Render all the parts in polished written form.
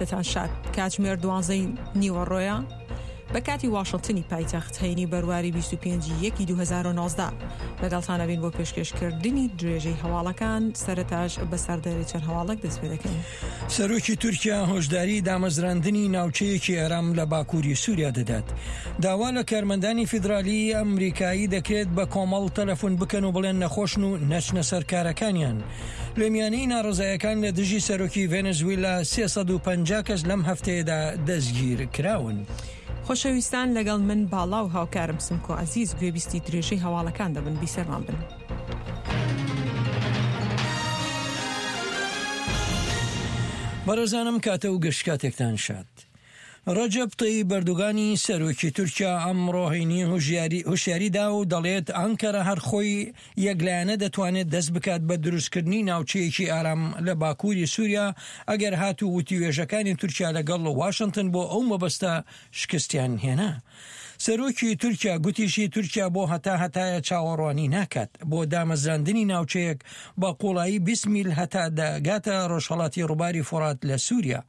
دەتان شاد. کاتژمێر دوانزەی نیوەڕۆیە بە کاتی واشنتنی پایتەخت هەینی بەرواری 25 یەکی 2019 لەگەڵتان ئەبین بۆ پێشکێشکردنی درێژەی هەواڵەکان سەرەتاش بە سەردێری چەند هەواڵێک دەست پێ دەکەین. سەرۆکی تورکیا هۆشداری دامەزراندنی ناوچەیەکی ئارام لە باکووری سووریا دەدات. داوا لە کارمەندانی فیدرالی ئەمریکایی دەکرێت بە کۆمەڵ تەلەفۆن بکەن و بڵێن نەخۆشن و نەچنە سەر کارەکانیان. لە میانەی ناڕەزایەکان لە دژی سەرۆکی ڤێنزویلا 350 کەس لەم هەفتەیەدا دەستگیر کراون. خۆشەویستان لەگەڵ من باڵا و هاوکارم سمکۆ عەزیز گوێبیستی درێژەی هەواڵەکان دەبن بیسەرمان بن. بەڕێزانم کاتە و گشت کاتێکتان شاد. ڕەجەب تەیب ئەردۆگانی سەرۆکی تورکیا ئەمڕۆ هەینی هۆشیاری دا و دەڵێت ئانکەرە هەر خۆی یەکلایەنە دەتوانێت دەست بکات بە دروستکردنی ناوچەیەکی ئارام لە باکووری سووریا ئەگەر هاتوو وتووێژەکانی تورکیا لەگەڵ واشنتن بۆ ئەو مەبەستە شکستیان هێنا. سەرۆکی تورکیا گوتیشی تورکیا بۆ هەتا هەتایە چاوەڕوانی ناکات بۆ دامەزراندنی ناوچەیەک بە قوڵایی 20 میل هەتا دەگاتە ڕۆژهەڵاتی ڕووباری فوڕات لە سووریا.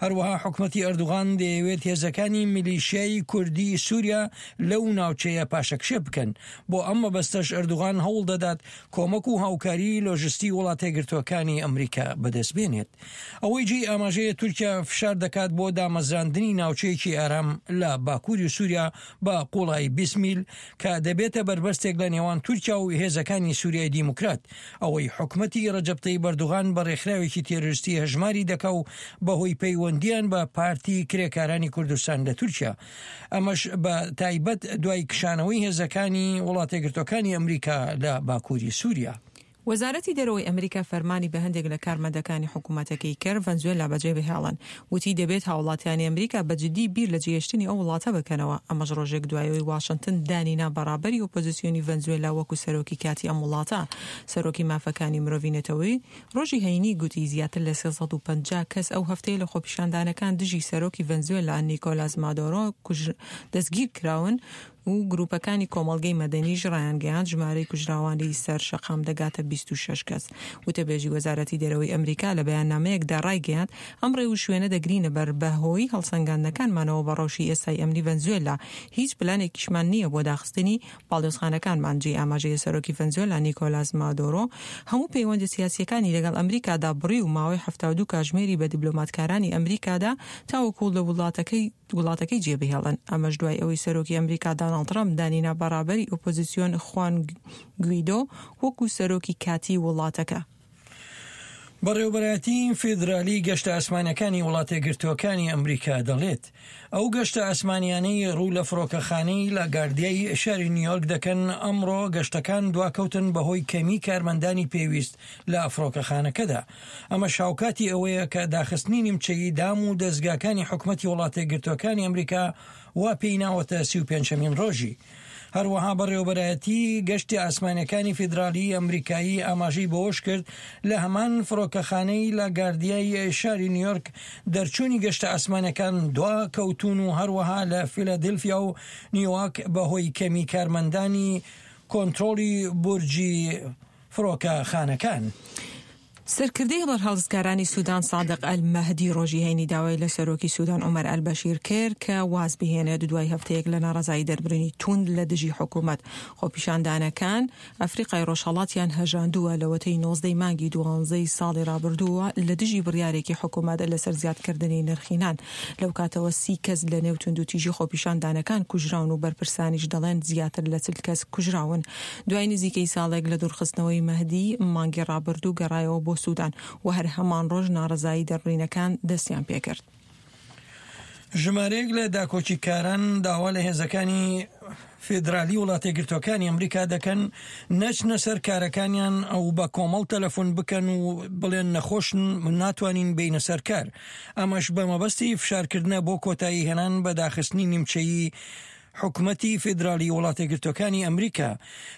هەروەها حکومەتی ئەردوغان دەیەوێت هێزەکانی میلیشیای کوردی سووریا لەو ناوچەیە پاشەکشێ بکەن. بۆ ئەم مەبەستەش ئەردوغان هەوڵ دەدات کۆمەک و هاوکاریی لۆژستی وڵاتەیەکگرتووەکانی ئەمریکا بەدەست بێنێت. ئەوەی جێی ئاماژەیە تورکیا فشار دەکات بۆ دامەزراندنی ناوچەیەکی ئارام لە باکووری سووریا بە قوڵایی 20 میل کە دەبێتە بەربەستێک لە نێوان تورکیا و هێزەکانی سووریای دیموکرات ئەوەی حکومەتی رەجەب تەیب ئەردوغان بە رێکخراوێکی تێرۆریستی هەژماری دەکا و بەهۆی پەیوەندییان بە پارتی کرێکارانی کوردستان لە تورکیا ئەمەش بە تایبەت دوای کشانەوەی هێزەکانی وڵاتەیەکگرتووەکانی ئەمریکا لە باکووری سووریا. وەزارەتی دەرەوەی ئەمریکا فەرمانی بە هەندێک لە کارمەندەکانی حکومەتەکەی کرد ڤەنزوێلا بەجێ بهێڵن، وتی دەبێت هاوڵاتیانی ئەمریکا بە جدی بیر لە جێهێشتنی ئەو وڵاتە بکەنەوە، ئەمەش ڕۆژێک دوای ئەوەی واشنتن دانی نا بە ڕابەری ئۆپۆزسیۆنی ڤەنزوێلا وەکو سەرۆکی کاتی ئەم وڵاتە. سەرۆکی مافەکانی مرۆڤی نەتەوەی ڕۆژی هەینی گوتی زیاتر لە 350 کەس ئەو هەفتەیە لە خۆپیشاندانەکان دژی سەرۆکی ڤەنزوێلا نیکۆلاس مادۆرۆ دەستگیرکراون و گروپەکانی کۆمەڵگەی مەدەنیش ڕایانگەیاند ژمارەی کوژراوانی سەر شەقام دەگاتە 26 کەس. وتەبێژی وەزارەتی دەرەوەی ئەمریکا لە بەیاننامەیەکدا ڕایگەیاند ئەم ڕێوشوێنە دەگرینە بەر بە هۆی هەڵسەنگاندنەکانمانەوە بە ڕەوشی ئێستای ئەمنی ڤەنزوێلا هیچ پلانێکیشمان نییە بۆ داخستنی باڵیۆزخانەکانمان. جێی ئاماژەیە سەرۆکی ڤەنزوێلا نیکۆلاس مادۆرۆ هەموو پەیوەندە سیاسییەکانی لەگەڵ ئەمریکادا بڕی و ماوەی 72 کاژمێری بە دیبلۆماتکارانی ئەمریکادا تاوەکو لە وڵاتەکەی وڵاتەکەی جێبهێڵن، ئەمەش دوای ئەوەی سەرۆکی ئەمریکا داناڵد ترەمپ دانی نا بە ڕابەری ئۆپۆزیسیۆن خوان گویدۆ وەکو سەرۆکی کاتیی وڵاتەکە. بەڕێوەبەرایەتی فیدرالی گەشتە ئاسمانیەکانی وڵاتەیەکگرتووەکانی ئەمریکا دەڵێت، ئەو گەشتە ئاسمانیانەی ڕوو لە فڕۆکەخانەی لاگاردیای شاری نیویۆرک دەکەن ئەمڕۆ گەشتەکان دواکەوتن بەهۆی کەمی کارمەندانی پێویست لە فڕۆکەخانەکەدا. ئەمەش هاوکاتی ئەوەیە کە داخستنی نیمچەیی دام و دەزگاکانی حکومەتی وڵاتەیەکگرتووەکانی ئەمریکا وا پێی ناوەتە 35مین ڕۆژی. هەروەها بەڕێوەبەرایەتی گەشتی ئاسمانیەکانی فیدراڵی ئەمریکایی ئاماژەی بەوەشکرد، لە هەمان فڕۆکەخانەی لاگاردیای شاری نیویۆرک دەرچوونی گەشتە ئاسمانیەکان دواکەوتوون و هەروەها لە فیلادلفیا و نیواک بەهۆی کەمی کارمەندانی کۆنترۆڵی بورجی فڕۆکەخانەکان. سەرکردەی بەرهەڵستکارانی سودان سادق ئەلمەهدی ڕۆژی هەینی داوای لە سەرۆکی سودان عومەر ئەلبەشیر کرد کە واز بهێنێت دوای هەفتەیەک لە ناڕەزایی دەربرینی توند لە دژی حکومەت. خۆپیشاندانەکان ئەفریقای ڕۆژهەڵاتیان هەژاندووە لەوەتەی 19 ی مانگی دوانزەی ساڵی ڕابردووە لە دژی بڕیارێکی حکومەت لەسەر زیادکردنی نرخی نان. لەو کاتەوە سی کەس لە نێو توندوتیژی خۆپیشاندانەکان کوژراون و بەرپرسانیش دەڵێن زیاتر لە 40 کەس کوژراون. دوای نزیکەی ساڵێک لە دوورخستنەوەی مەهدی، مانگی ڕابردوو گەڕایەوە بۆ سودان و هەر هەمان ڕۆژ ناڕەزایی دەربڕینەکان دەستیان پێکرد. ژمارەیەک لە داکۆکیکاران داوا لە هێزەکانی فیدرالی وڵاتەیەکگرتووەکانی ئەمریکا دەکەن نەچنە سەر کارەکانیان ئەو بە کۆمەڵ تەلەفۆن بکەن و بڵێن نەخۆشن ناتوانین بینە سەر کار ئەمەش بە مەبەستی فشارکردنە بۆ کۆتایی هێنان بە داخستنی نیمچەیی حکومەتی فیدرالی وڵاتەیەکگرتووەکانی ئەمریکا.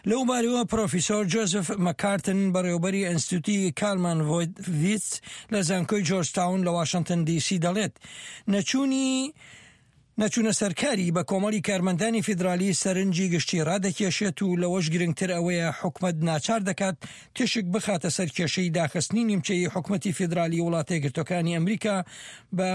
لەو بارەوە پرۆفیسۆر جۆزف مەکارتن بەڕێوەبەری ئەنستیتوتی کالمان ڤۆیتڤیتس لە زانکۆی جۆرج تاون لە واشنتن دی سی دەڵێت نەچوونی. نەچوونە سەرکاری بە کۆمەڵی کارمەندانی فیدرالی سەرنجی گشتی ڕادەکێشێت و لەوەش گرنگتر ئەوەیە حکومەت ناچار دەکات تیشک بخاتە سەر کێشەی داخستنی نیمچەیی حکومەتی فیدرالی وڵاتەیەکگرتووەکانی ئەمریکا بە.